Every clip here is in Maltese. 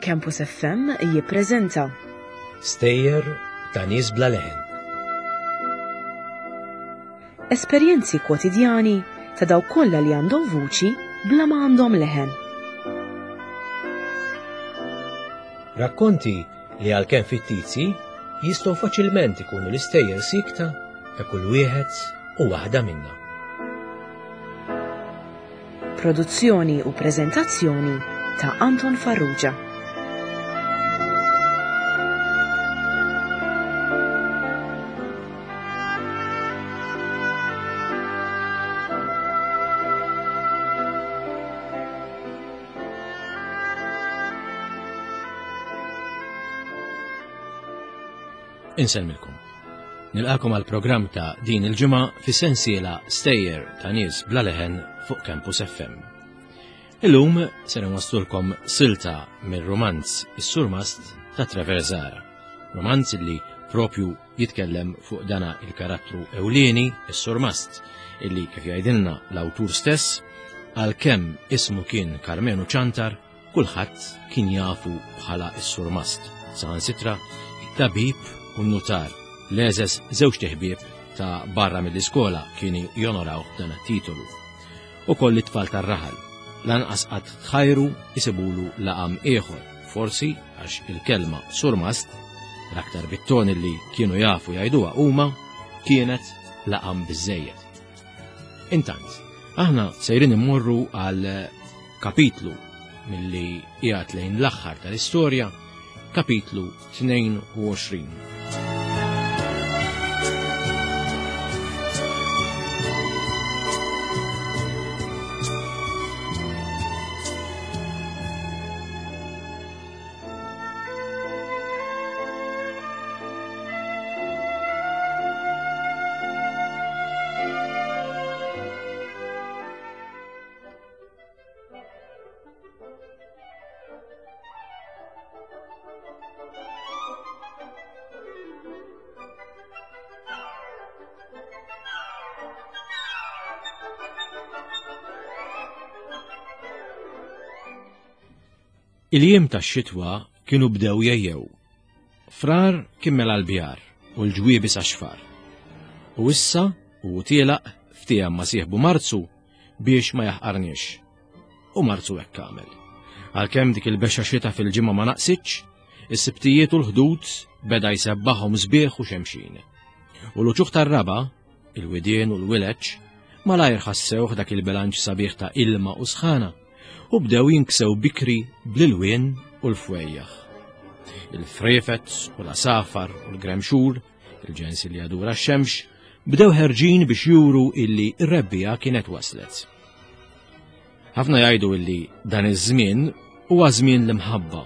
Campus FM jippreżenta Stejjer ta' nies bla leħen. Esperjenzi kwotidjani ta' dawk kollha li għandhom vuċi bla ma għandhom leħen. Rakkonti li għalkemm fittizji jistgħu faċilment ikunu l-istejjer sikta ta' kull wieħed u waħda minna. Produzzjoni u preżentazzjoni ta' Anton Farrugia. Insellmilkom. Nilqakom għal programm ta' din il-ġimgħa fis-sensiela Stejjer ta' nies bla leħen fuq Campus FM. Illum se nwaslulkom silta mir-rumanz Is-Surmast ta' Trevor Zara. Romanz li propju jitkellem fuq dana il-karattru ewlieni, is-Surmast, illi kif jgħidilna l-awtur stess, għalkemm ismu kien Karmenu Ċantar, kulħadd kien jafu bħala s-Surmast. Saħansitra, it-tabib u n-nutar, l-eżes żewġ ħbieb ta' barra mill-iskola kienu jonoraw dan it-titolu. Ukoll it-tfal tar-raħal, lanqas qatt tħajru isibulu laqam ieħor, forsi għax il-kelma surmast, l-aktar bit-ton li kienu jafu jgħiduha huma, kienet laqam biżejjed. Intant, aħna sejrin immorru għal kapitlu milli qiegħed lejn l-aħħar tal-istorja, kapitlu 22. Il-jiem tax-xitwa kienu bdew jejjew. Frar kien mela l-bjar u l-ġwiebi sa xfar. U issa u tielaq ftiehem ma' sieħbu Marzu biex ma jaħqarniex. U Marzu hekk għamel. Għalkemm dik il-bexa xita fil-ġimgħa ma naqsitx, is-sibtijiet u l-ħdud beda jsebbaħhom sbieħ u xemxin. U l-uċuħ tar-raba, il-widien u l-wileċ, malajr ħassewh dak il-bilanċ sabiħ ta' ilma u sħana u bdew jinksew bikri bl-ilwien u l-fwejjaħ. Il-frifet u l-asafar u l-gremxur Il-ġens li jadura x-xemx bdew ħerġin biex juru illi r-rebbija kienet waslet. Ħafna jgħidu illi dan iż-żmien huwa żmien l-imħabba.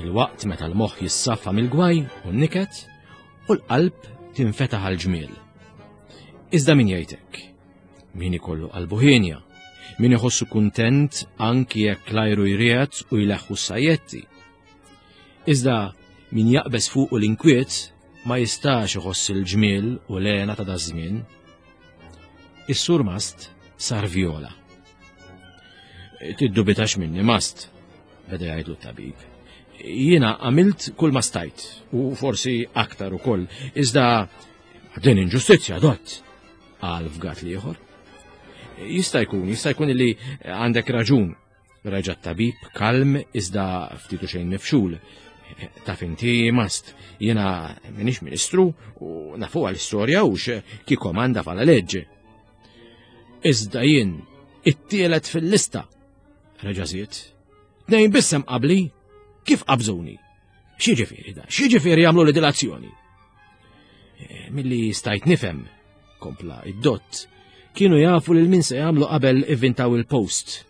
Il-waqt meta l-moħħ jissaffa mill-gwaj u n-niket u l-qalb tinfetaħ għal ġmiel. Iżda min jgħidek? Min ikollu qalbu ħienja? Min iħossu kuntent anki jekk l-ajru jriegħed u jleħħu s-sajjetti? Iżda min jaqbeż fuqu l-inkwiet ma jistax iħoss il-ġmiel u l-hena ta' daż-żmien. Is-sur Mast sar vjola. Tiddubitax minni Mast, beda jgħidlu t-tabib. Jiena għamilt kull ma stajt u forsi aktar ukoll, iżda din inġustizzja dott, qal fgat l-ieħor. Jista' jkun, jista' jkun li għandek raġun, Reġa' t-tabib kalm iżda ftit u xejn mifxul. Taf inti mast, jiena minix ministru u nafu għal-istorja u ki komanda fala leġġe. Iżda jien it-tielet fil-lista. Reġa' żied. Tnejn bissem qabli, kif qabżuni? X'jiġifieri da? X'jiġifieri jagħmlu li dilazzjoni? Eh, milli stajt nifhem, kompla id-dott, kienu jafu lil min se jagħmlu qabel ivvintaw il-post.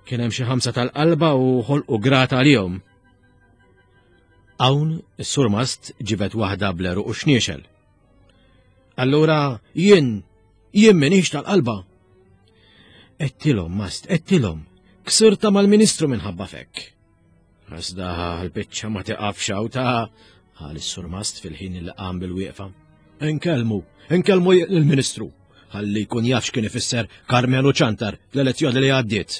Kien hemm xi ħamsa tal-qalba u ħolqu grata għalihom. Hawn is-surmast ġibet waħda bleru u xniexel. Allura jien jien minix tal-qalba. Ettilhom mast, ettilhom, ksirta mal-ministru minħabba fekk. Iżda l-biċċa ma tiqafx hawn ta' qal is-surmast fil-ħin li qam bil-wieqfa. Inkellmu, inkellmu lill-Ministru, ħalli jkun jaf x'kien ifisser Karmenu Ċantar fl-elezzjoni li għaddiet.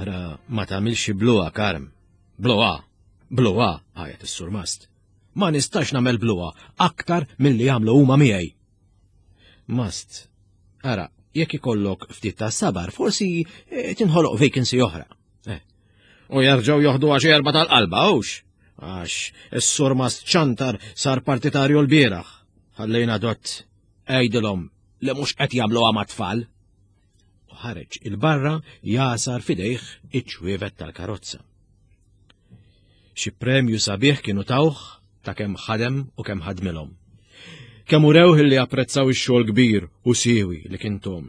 Ara ma tagħmilx bluha Karm. Bluha, bluha, għajat is-surmast. Ma nistax nagħmel bluha aktar milli jagħmlu huma miegħi. Mast, ara, jekk ikollok ftit ta' sabar, forsi eh, tinħoloq vacancy oħra. Eh. U jerġgħu joħdu għax erba tal-qalba, hux? Għax is-surmast ċantar sar partitarju l-bieraħ. Ħallejna dott għidilhom li mhux qed jagħmluha mat-tfal. U ħareġ il-barra jasar fidejh iċ-ċwievet tal-karozza. Xi premju sabiħ kienu tawh ta' kemm ħadem u kemm ħadmilhom. Kemm urewh li apprezzaw ix-xogħol kbir u siewi li kien tom.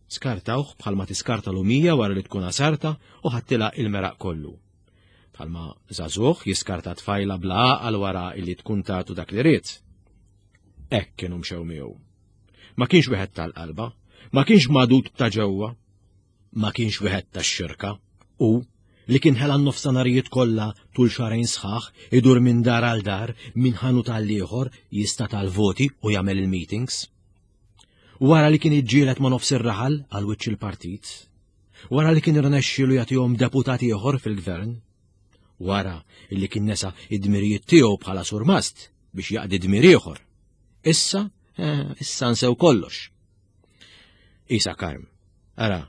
Skartawh bħalma tiskarta lumija wara li tkun għasarta u ħattilha il-meraq kollu. Bħalma żagħżugħ jiskarta tfajla bla għaqal wara illi tkun tagħtu dak li ried. Hekk kienu mxew miegħu. Ma kienx wieħed tal-qalba, ma kienx magħdud ta' ġewwa, ma kienx wieħed tax-xirka u li kien ħela n-nofsanarijiet kollha tul xahrejn sħaħ idur minn dar għal dar, minn ħanut għal ieħor jista' tal-voti u jagħmel il-meetings. Wara li kien iġġieled ma' nofs ir-raħal għal wiċċ il-partit, wara li kien irnexxielu jagħtihom deputat ieħor fil-gvern, wara li kien nesa id-dmirijiet tiegħu bħala surmast biex jaqdi dmir ieħor. Issa, eh, issa nsew kollox. Isa Karm, ara,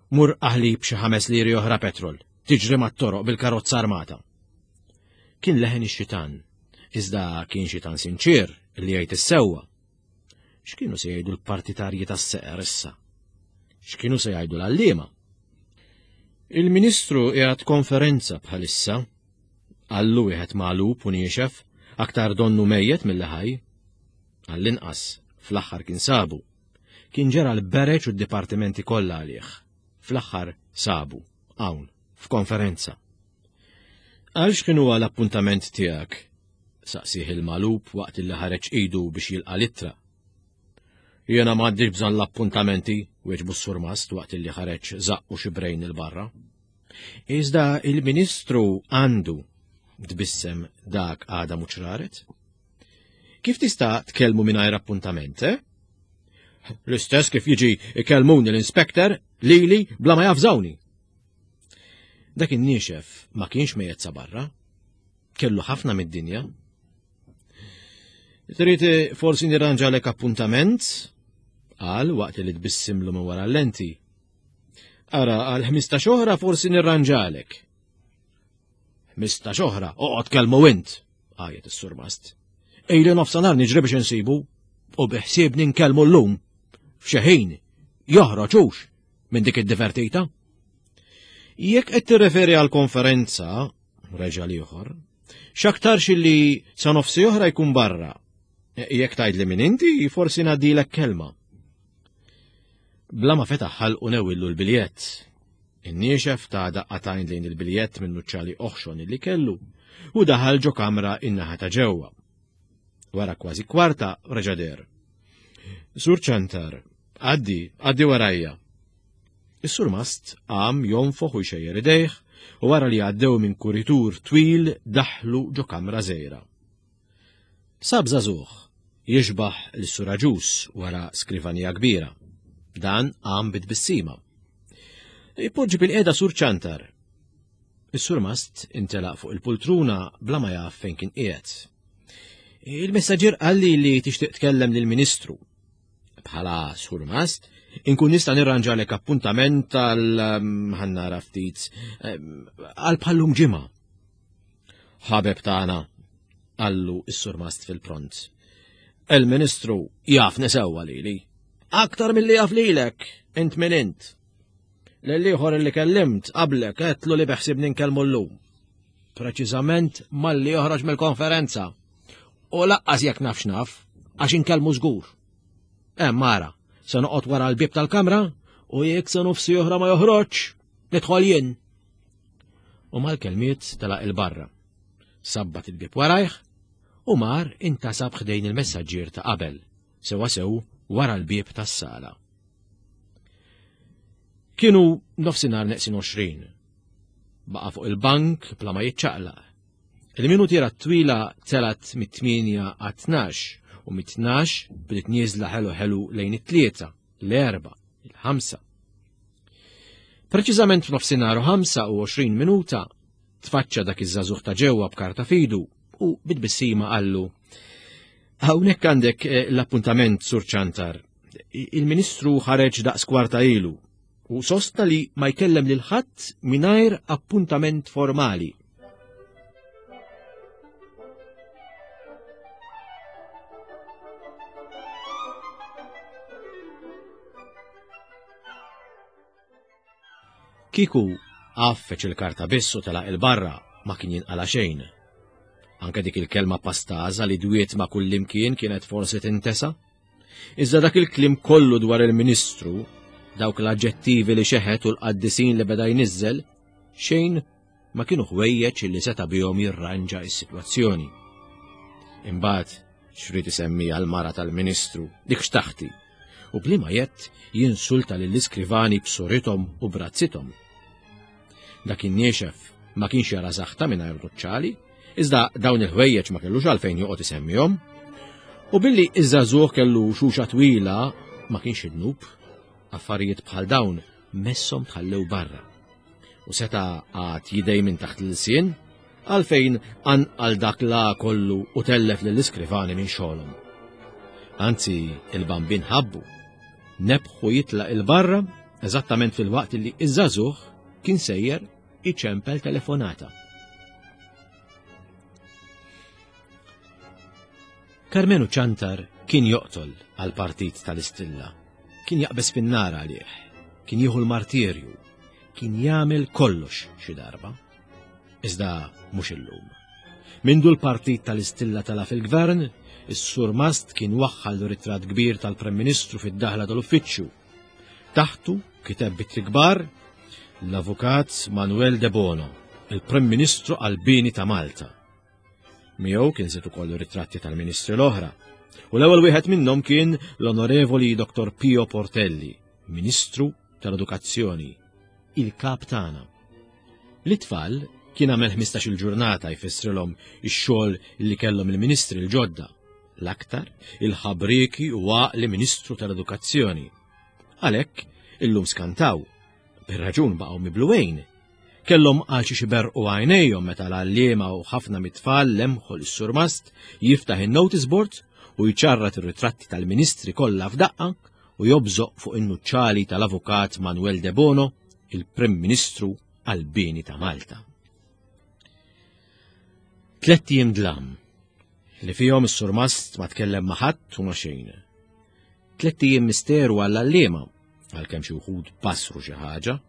mur aħli b'xi ħames liri oħra petrol, tiġri mat-toroq bil-karozza armata. Kien leħen ix-xitan, iżda kien xitan sinċir li jgħid is-sewwa. X'kienu se jgħidu l-partitarji tas-seqer issa? X'kienu se jgħidu l-għalliema? Il-Ministru qiegħed konferenza bħalissa, qallu wieħed magħlub u niexef, aktar donnu mejjet milli ħaj. Għall-inqas, fl-aħħar kien sabu. Kien ġera l-bereġ u d-dipartimenti kollha għalih. Fl-aħħar sabu, hawn, f'konferenza. Għal x'kien huwa l-appuntament tiegħek? Saqsih il-magħlub waqt li ħareġ idu biex jilqa' l-ittra. Jiena m'għandix bżonn l-appuntamenti, wieġbu s-surmast waqt li ħareġ żaqqu xi brejn 'il barra. Iżda il-Ministru għandu, tbissem dak għada mhux raret. Kif tista' tkellmu mingħajr appuntament, eh? L-istess kif jiġi ikellmuni l-inspector lili bla ma jafżawni. Dak in-niexef ma kienx mejjet sa barra. Kellu ħafna mid-dinja. Trid eh, forsi nirranġalek appuntament? Qal waqt li tbissimlu minn wara l-lenti. Ara, għal 15 oħra forsi nirranġalek. 15 oħra, oqgħod kelmu int, għajet is-surmast. Ejli nofsanhar niġri biex insibu u biħsiebni nkellmu llum. F'xi ħin joħroġ hux minn dik id-divertita. Jekk qed tirreferi għal konferenza, reġa' l-ieħor, x'aktarx illi sa nofsi oħra jkun barra. Jekk tgħidli min inti, forsi ngħaddilek kelma. Bla ma fetaħ ħalqu newillu l-biljett. In-niexef ta' daqqatajn lejn il-biljett minn nuċċali oħxon illi kellu u daħal ġo kamra in-naħa ta' ġewwa. Wara kważi kwarta reġa' der. Sur Ċantar, għaddi, għaddi warajja. Is-surmast qam jonfoħ u jxejjer idejh u wara li għaddew minn kuritur twil daħlu ġo kamra żgħira. Sab żagħżugħ jixbah lis-Sur Agius wara skrivanija kbira. Dan qam bi tbissima. Ipoġġi bil-qiegħda Sur Ċantar. Is-surmast intelaq fuq il-pultruna bla ma jaf fejn kien qiegħed. Il-messaġġier qalli li tixtieq tkellem lill-Ministru. Bħala surmast, inkun nista' nirranġalek appuntament għal ehm, ħannara ftit ehm, għal bħallum ġimgħa. Ħabeb tagħna, qallu s-surmast fil-pront. Il-Ministru jafni sewwa lili. Aktar milli jaf lilek, int min int. Lill-ieħor li kellimt qablek għedtlu li beħsibni nkellmu llum. Preċiżament malli joħroġ mill-konferenza. U laqqas jekk nafx naf, għax inkellmu żgur. Hemm ara, se noqgħod wara l-bieb tal-kamra u jekk sa nofsi oħra ma joħroġ, nidħol jien. U mal-kelmiet telaq il-barra. Sabbat il-bieb warajh u mar intasab ħdejn il-messaġġier ta' qabel, sewa sew wara l-bieb tas-sala. Kienu nofsinhar neqsin 20. Baqa' fuq il-bank bla ma jiċċaqlaq. Il-minutiera t-twila telat mit-8 għat-12 u mit-12 bdiet nieżla ħelu ħelu lejn it-tlieta, l-erba, il-ħamsa. Preċiżament f'nofsinhar u 25 minuta. Tfaċċa dak iż-żagħżugħ ta' ġewwa b'karta fidu u bitbissima qallu Hawnhekk għandek eh, l-appuntament Sur Ċantar. Il-Ministru ħareġ daqs kwarta ilu u sostna li ma jkellem lil ħadd mingħajr appuntament formali. Kieku għaffeċ il-karta biss u telaq il-barra ma kien jinqala xejn. Anke dik il-kelma pastaża li dwiet ma' kullimkien kienet forsi tintesa. Iżda dak il-kliem kollu dwar il-Ministru, dawk l-aġġettivi li xeħet u l-qaddisin li beda jniżżel, xejn ma kienu ħwejjeġ li seta' bihom jirranġa s-sitwazzjoni. Imbagħad xrid isemmi għall-mara tal-Ministru, dik xtaħti, u bliema jett jinsulta lill-iskrivani b'surithom u brazzithom. Dak in-niexef ma kienx jara saħta mingħajr nuċċali, iżda dawn il-ħwejjeġ ma kellux għalfejn joqgħod isemmihom. U billi iż-żagħżugħ kellu xuxa twila ma kienx id-nub, affarijiet bħal dawn messhom tħallew barra. U seta' għad jidej minn taħt l-ilsien għalfejn anqal dak la kollu u tellef lill-iskrivani minn xogħolhom. Anzi, il-bambin ħabbu. Nebħu jitlaq il-barra eżattament fil-waqt li iż-żagħżugħ kien sejjer iċempel telefonata. Karmenu Ċantar kien joqtol għal partit tal-Istilla. Kien jaqbeż fin-nar għalih, kien jieħu l-martirju, kien jagħmel kollox xi darba. Iżda mhux illum. Mindu l-partit tal-Istilla tala fil-gvern, is-surmast kien waħħal ritratt kbir tal-Prem Ministru fid-daħla tal-uffiċċju. Taħtu kiteb bitri kbar l-Avukat Manuel De Bono, il-Prim Ministru għall-Bini ta' Malta. Miegħu kien żied ukoll ritratti tal-ministri l-oħra. U l-ewwel wieħed minnhom kien l-Onorevoli Dr. Pio Portelli, Ministru tal-Edukazzjoni, il-kap tagħna. L-itfal kien għamel 15 il-ġurnata jfissrilhom ix-xogħol li kellhom il-ministri l-ġodda, l-aktar il-ħabrieki u għaqli Ministru tal-Edukazzjoni. Għalhekk illum skantaw, bir-raġun baqgħu mibluwejn Kellhom għal xiex iberrqu għajnejhom meta l-għalliema u ħafna mit-tfal lemħu lis-surmast jiftaħ in-notice board u jċarrat ir-ritratti tal-ministri kollha f'daqqa u jobżoq fuq in-nuċċali tal-Avukat Manuel De Bono, il-Prim Ministru għall-bini ta' Malta. Tlett ijiem dlam li fihom is-surmast ma tkellem ma' ħadd u ma' xejn. Tlett ijiem misteru għall-għalliema, għalkemm xi wħud basru xi ħaġa,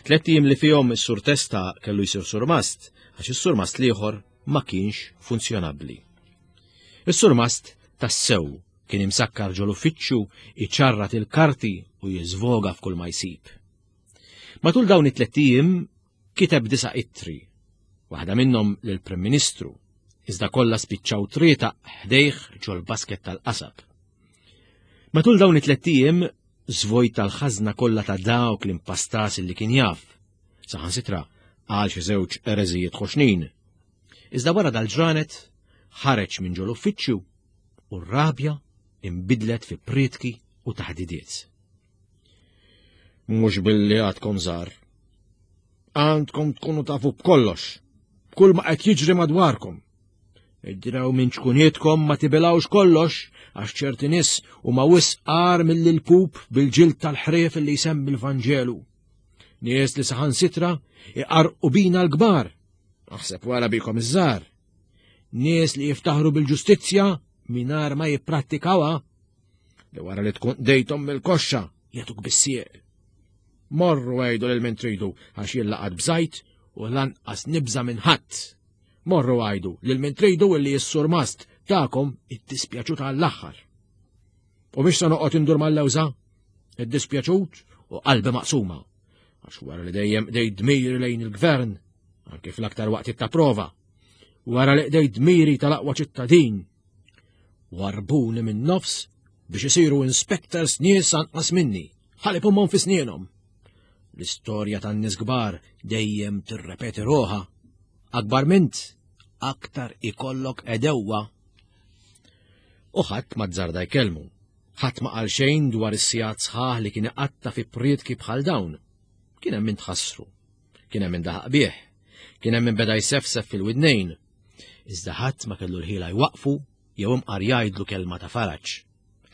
Tlett ijiem li fihom is-Sur Testa kellu jsir surmast għax is-surmast l-ieħor ma kienx funzjonabbli. Is-surmast tassew kien imsakkar ġol uffiċċju iċarrat il-karti u jiżvoga f'kull ma jsib. Matul dawn it-tlett ijiem kiteb disa' ittri, waħda minnhom lill-Prim Ministru, iżda kollha spiċċaw trieta ħdejh ġol-basket tal-qasab. Matul dawn it-tlett ijiem Żvojta l-ħażna kollha ta' dawk l-impastas li kien jaf. Saħansitra qal xi żewġ ereżijiet ħoxnin. Iżda wara dal-ġranet ħareġ minn ġol uffiċċju u r-rabja imbidlet fi prietki u taħdidiet. Mhux billi għadkom żgħar. Għandkom tkunu tafu b'kollox, b'kull ma qed jiġri madwarkom. Idraw minn ċkunietkom ma tibilgħux kollox għax ċerti nies huma wisq agħar milli l-pup bil-ġild tal-ħrief li jsemmi l-Vanġelu. Nies li saħansitra iqarqu bina l-kbar, aħseb wara bikom iż-żgħar. Nies li jiftaħru bil-ġustizzja mingħajr ma jipprattikawha li wara li tkun dejthom mill-koxxa jagħtuk bis-sieq. Morru għidu lil min tridu għax jien laqat bżajt u lanqas nibża' minn ħadd. Morru għidu lil min tridu illi s-surmast tagħkom iddispjaċut għall-aħħar. U biex se noqgħod indur mal-lewża, iddispjaċut u qalbi maqsuma. Għax wara li dejjem qdejt dmiri lejn il-gvern, anke fl-aktar waqtiet ta' prova, wara li qdejt dmiri tal-aqwa ċittadin, warbuni minn nofs biex isiru inspectors nies anqas minni, ħalli pummhom fi snienhom. L-istorja tan-nies kbar dejjem tirrepeti ruħha. Akbar mint, aktar ikollok edewwa. U ħadd ma żarda jkellmu. Ħadd ma qal xejn dwar is-sigħat sħaħ li kien iqatta' fi prietki bħal dawn. Kien hemm min tħassru. Kien hemm min daħaq bih. Kien hemm min beda jsefsef fil-widnejn. Iżda ħadd ma kellu l-ħila jwaqfu jew imqar jgħidlu kelma ta' faraġ.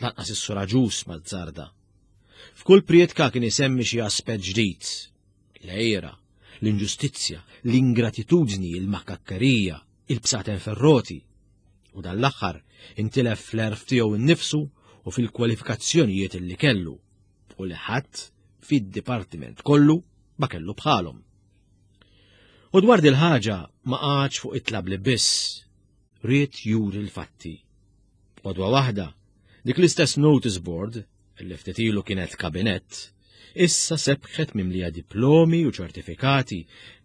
Lanqas is-Sur Agius ma żżarda. F'kull prietka kien isemmi xi aspett ġdid. L-għira, l-inġustizzja, l-ingratitudni, il-makakkerija, il-bsaten ferroti. U dan l-aħħar intilef fl-għerf tiegħu nnifsu u fil-kwalifikazzjonijiet li kellu u li ħadd fid-dipartiment kollu ma kellu bħalhom. U dwar dil-ħaġa ma qagħadx fuq it-tlabli biss, ried juri l-fatti. Għodwa waħda, dik l-istess notice board, li ftit ilu kienet kabinett, issa sebħet mimlija diplomi u ċertifikati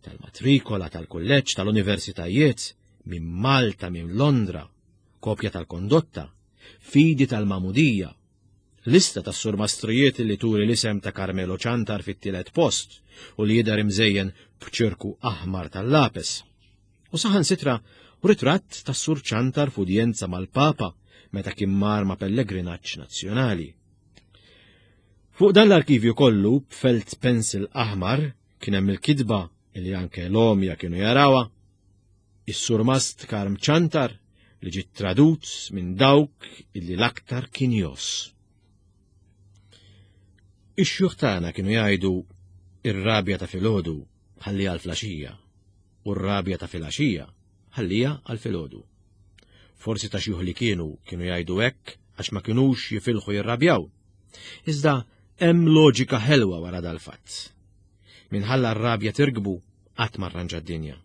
tal-matrikola tal-kulleġġ tal-universitajiet minn Malta minn Londra, kopja tal-kondotta, fidi tal-magħmudija, lista tas-surmastrijiet li turi l-isem ta' Carmelo Ciantar fit-tielet post u li jidher imżejjen b'ċirku aħmar tal-lapes. U saħansitra ritratt tas-Sur Ciantar f'udjenza mal-Papa meta kien mar ma' pellegrinaġġ nazzjonali. Fuq dan l-arkivju kollu b'felt pencil aħmar kien hemm il-kitba li anke l-għomja kienu jarawha. Is-Surmast Karm Ciantar li ġiet tradut minn dawk illi l-aktar kien jos. Ix-xjuħ tagħna kienu jgħidu ir-rabja ta' filgħodu ħalliha għal flaxija u r-rabja ta' filgħaxija ħalliha għal filgħodu. Forsi ta' xjuħ li kienu kienu jgħidu hekk għax ma kinux jifilħu jirrabjaw. Iżda hemm loġika ħelwa wara dal-fatt. Minħalla r-rabja tirkbu qatt ma rranġa d-dinja.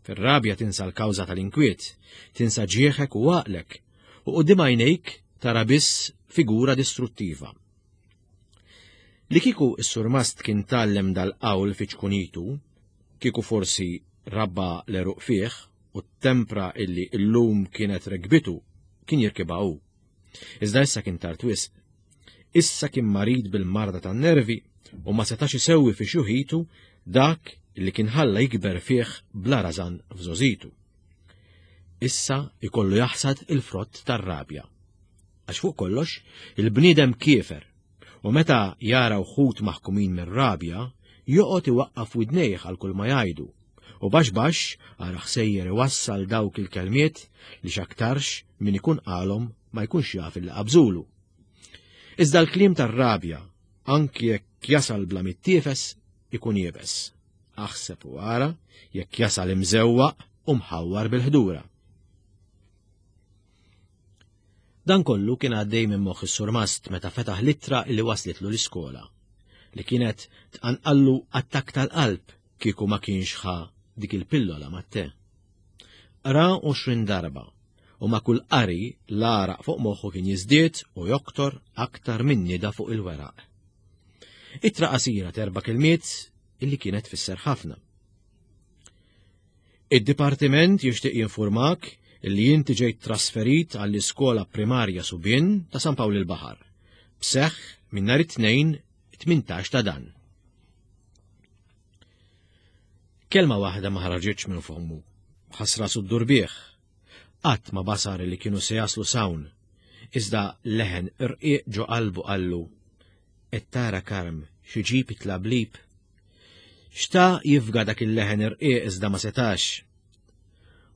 Fir-rabja tinsa l-kawża tal-inkwiet, tinsa ġieħek u għaqlek, u quddiem għajnejk tara biss figura distruttiva. Li kieku s-surmast kien tgħallem dal-qawl fi ċkunitu, kieku forsi rabba l-għeruq fih u t-tempra illi illum kienet rekbitu kien jirkibha hu. Iżda issa kien tard wisq. Issa kien marid bil-marda tan-nervi u ma setax isewwi fi xjuħitu dak li kien ħalla jikber fih bla rażan f'żgħożitu. Issa jkollu jaħsad il-frott tar-rabja. Għax fuq kollox, il-bniedem kiefer u meta jara wħud maħkumin mir-rabja, joqgħod iwaqqaf widnejh għal kull ma jgħidu u baxx baxx ara ħsejjer iwassal dawk il-kelmiet li x'aktarx min ikun qalhom ma jkunx jaf illi qabżulu. Iżda l-kliem tar-rabja, anki jekk jasal bla mittiefes, ikun iebes. Aħseb u ara jekk jasal imżewwaq u mħawwar bil-ħdura. Dan kollu kien għaddej minn moħħ is-surmast meta fetaħ l-ittra li waslitlu l-iskola, li kienet tqanqallu attakk tal-qalb kieku ma kienx ħa dik il-pillola mat-te. Qra 20 darba u ma' kull qari l-għaraq fuq moħħu kien jiżdied u joktor aktar minn nida fuq il-weraq. Ittra qasira t'erba' kelmiet illi kienet tfisser ħafna. Id-Dipartiment jixtieq jinfurmak li inti ġejt trasferit għall-Iskola Primarja Subien ta' San Pawl il-Baħar, b'seħħ minn nhar it-Tnejn 18 ta' dan. Kelma waħda ma ħarġitx minn fommu. Ħass rasu ddur bih. Qatt ma basar li kienu se jaslu s'hawn. Iżda leħen irqiq ġo qalbu qallu, Qed tara Karm xi ġib it-tlablib? Xtaq jifga dak il-leħen irqiq iżda ma setax.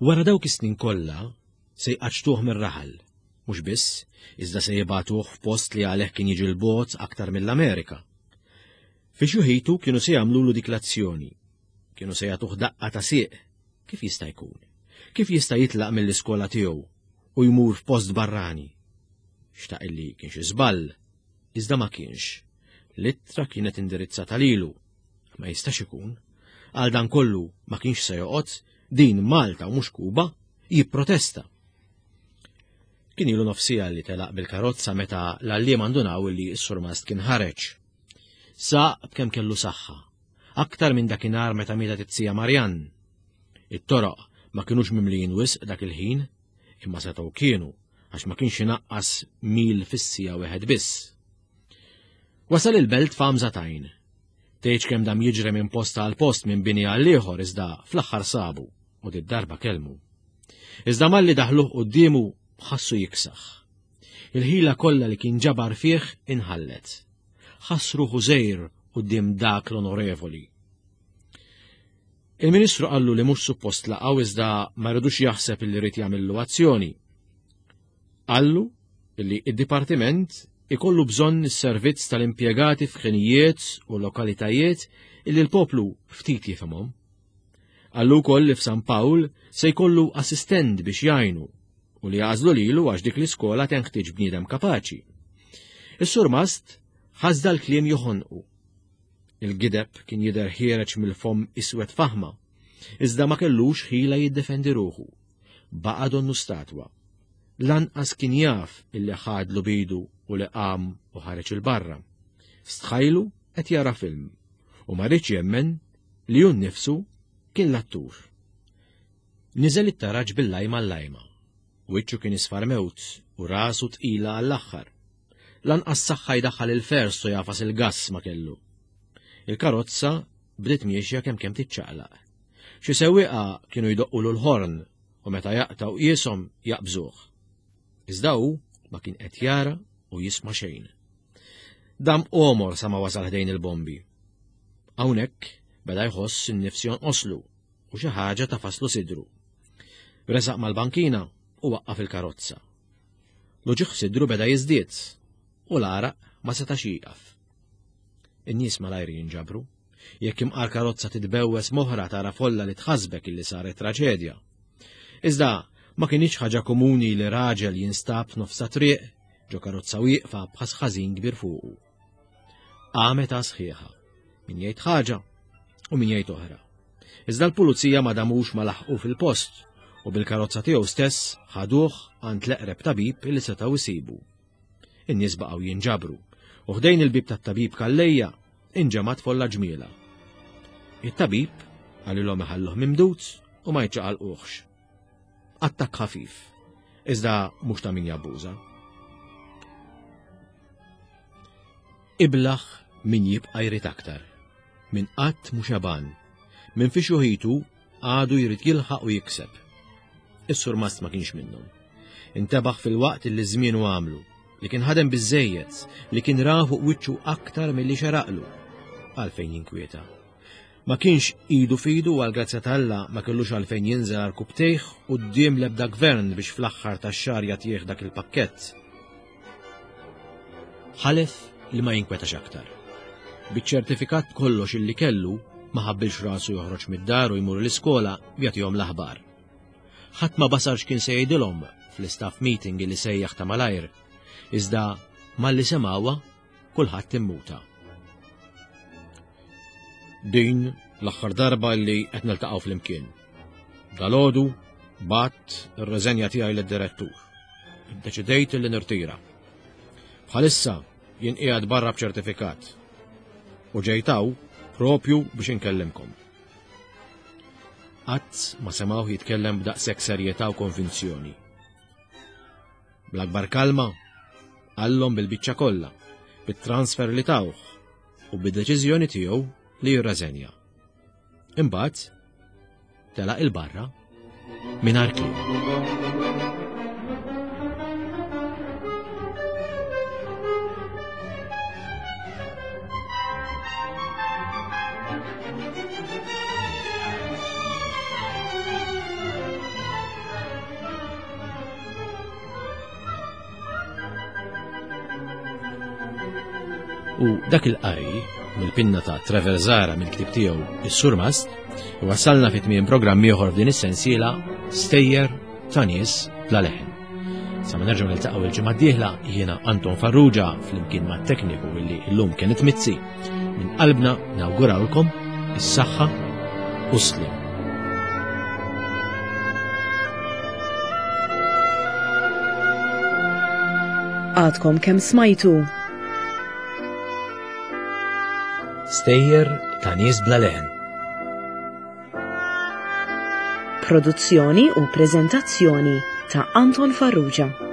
Wara dawk is-snin kollha, se jqaċċtuh mir-raħal. Mhux biss, iżda se jibagħtuh f'post li għalih kien jiġi 'l bogħod aktar mill-Amerika. Fi xjuħitu kienu se jagħmlulu dik l-azzjoni. Kienu se jagħtuh daqqa ta' sieq. Kif jista' jkun? Kif jista' jitlaq mill-iskola tiegħu u jmur f'post barrani? Xtaq illi kien xi żball, iżda ma kienx. L-ittra kienet indirizzata lilu. Ma jistax ikun. Għal dan kollu ma kienx se joqgħod, din Malta u mhux Kuba, jipprotesta. Kien ilu nofsija li telaq bil-karozza meta l-għalliema ndunaw li s-surmast kien ħareġ. Saq b'kemm kellu saħħa, aktar minn dakinhar meta mietet it-tija Marjan. It-toroq ma kinux mimlijin wisq dak il-ħin, imma setgħu kienu għax ma kienx inaqqas mil fis-siegħa wieħed biss. Wasal il-belt f'għamża t'għajn. Tgħidx kemm dam jiġri minn post għal post minn bini għal ieħor iżda fl-aħħar sabu u did-darba kellmu. Iżda malli daħluh quddiemu ħassu jiksaħ. Il-ħila kollha li kien ġabar fih inħallet. Ħass ruħu żgħir quddiem dak l-onorevoli. Il-Ministru qallu li mhux suppost laqgħu iżda ma rridux jaħseb li rrid jagħmillu azzjoni. Qallu li id-dipartiment ikollu bżonn is-servizz tal-impjegati f'ħinijiet u lokalitajiet illi l-poplu ftit jifhimhom. Qallu wkoll li f'San Pawl se jkollu assistent biex jgħinu u li għażlu lilu għax dik l-iskola tenħtieġ bniedem kapaċi. Is-surmast ħass dal-kliem joħonqu. Il-gideb kien jidher ħiereġ mill-fomm iswed faħma, iżda ma kellux ħila jiddefendi ruħu. Baqa' donnu statwa. Lanqas kien jaf illi ħadlu bidu u li qam u ħareġ il-barra. Stħajlu qed jara film u ma riedx jemmen li hu nnifsu kien l-attur. Niżel it-taraġ bil-lajma l-lajma. Wiċċu kien isfar mewt u rasu tqila għall-aħħar. Lanqas saħħa jdaħħal il-fers u jagħfas il-gass ma kellu. Il-karozza bdiet miexja kemm kemm tiċċaqlaq. Xi sewwieqa kienu jdoqqulu l-ħorn u meta jaqtgħu qieshom jaqbżuh. Iżda hu ma kien qed jara u jisma' xejn. Dam għomor sa ma wasal ħdejn il-bombi. Hawnhekk beda jħoss in-nifs jonqoslu u xi ħaġa tafaslu sidru. Resaq mal-bankina u waqqaf il-karozza. L-uġigħ sidru beda jiżdied u l-għaraq ma setax jieqaf. In-nies malajr jinġabru. Jekk imqar karozza titbewwes moħra tara folla li tħasbek illi saret traġedja. Iżda ma kienx ħaġa komuni li raġel jinstab nofsa triq ġo karozza wieqfa b'ħas ħażin kbir fuqu. Qamet sħiħa, min jgħid ħaġa u min jgħid oħra. Iżda l-pulizija ma damux ma laħqu fil-post u bil-karozza tiegħu stess ħaduh għand l-eqreb tabib li setgħu jsibu. In-nies baqgħu jinġabru u ħdejn il-bib tat-tabib Kallejja inġemgħat folla ġmiela. It-tabib qalilhom iħalluh mimdud u ma jċaqalquhx. Attakk ħafif, iżda mhux ta' min jabbuża. Iblaħ min jibqa' jrid aktar, min qatt mhu xaban, min fi xuħitu għadu jrid jilħaq u jikseb. Is-surmast ma kienx minnhom. Intebaħ fil-waqt li żmienu għamlu, li kien ħadem biżejjed, li kien ra fuq wiċċu aktar milli xeraqlu. Għalfejn jinkwieta. Ma kienx idu f'idu u għall-grazzja ta' Alla ma kellux għalfejn jinżel għarkupptejh quddiem l-ebda gvern biex fl-aħħar tax-xahar jagħtih dak il-pakkett. Ħalef li ma jinkwetax aktar. Biċ-ċertifikat b'kollox illi kellu ma ħabbilx rasu joħroġ mid-dar u jmur l-iskola jagħtihom l-aħbar. Ħadd ma basar x'kien se jgħidilhom fl-istaff meeting li sejjaħ ta' malajr, iżda malli semgħuha kulħadd immuta. Din l-aħħar darba li qed niltaqgħu flimkien. Dalgħodu bat ir-reżenja tiegħi lid-direttur. Iddeċidejt li nirtira. Bħalissa jien qiegħed barra b'ċertifikat u ġejtaw propju biex inkellimkom. Qatt ma semgħuh jitkellem b'daqshekk serjetà u konvinzjoni. Bl-akbar kalma, qallhom bil-biċċa kollha, bit-transfer li tawh u bid-deċiżjoni tiegħu li jirreżenja. Imbagħad telaq il-barra mingħajr kliem. U dak il-qari mill-pinna ta' Trevor Zara mill-ktib tiegħu Is-Surmast wasalna fi tmiem programm ieħor f'din is-sensiela Stejjer ta' nies bla leħen. Sa ma nerġgħu niltaqgħu il-ġimgħa d-dieħla jiena Anton Farrugia flimkien mat-tekniku illi llum kienet Mizzi. Minn qalbna nawgurawlkom is-saħħa u s-sliem. Għadkom kemm smajtu. Stejjer ta' nies bla leħen. Produzzjoni u preżentazzjoni ta' Anton Farrugia.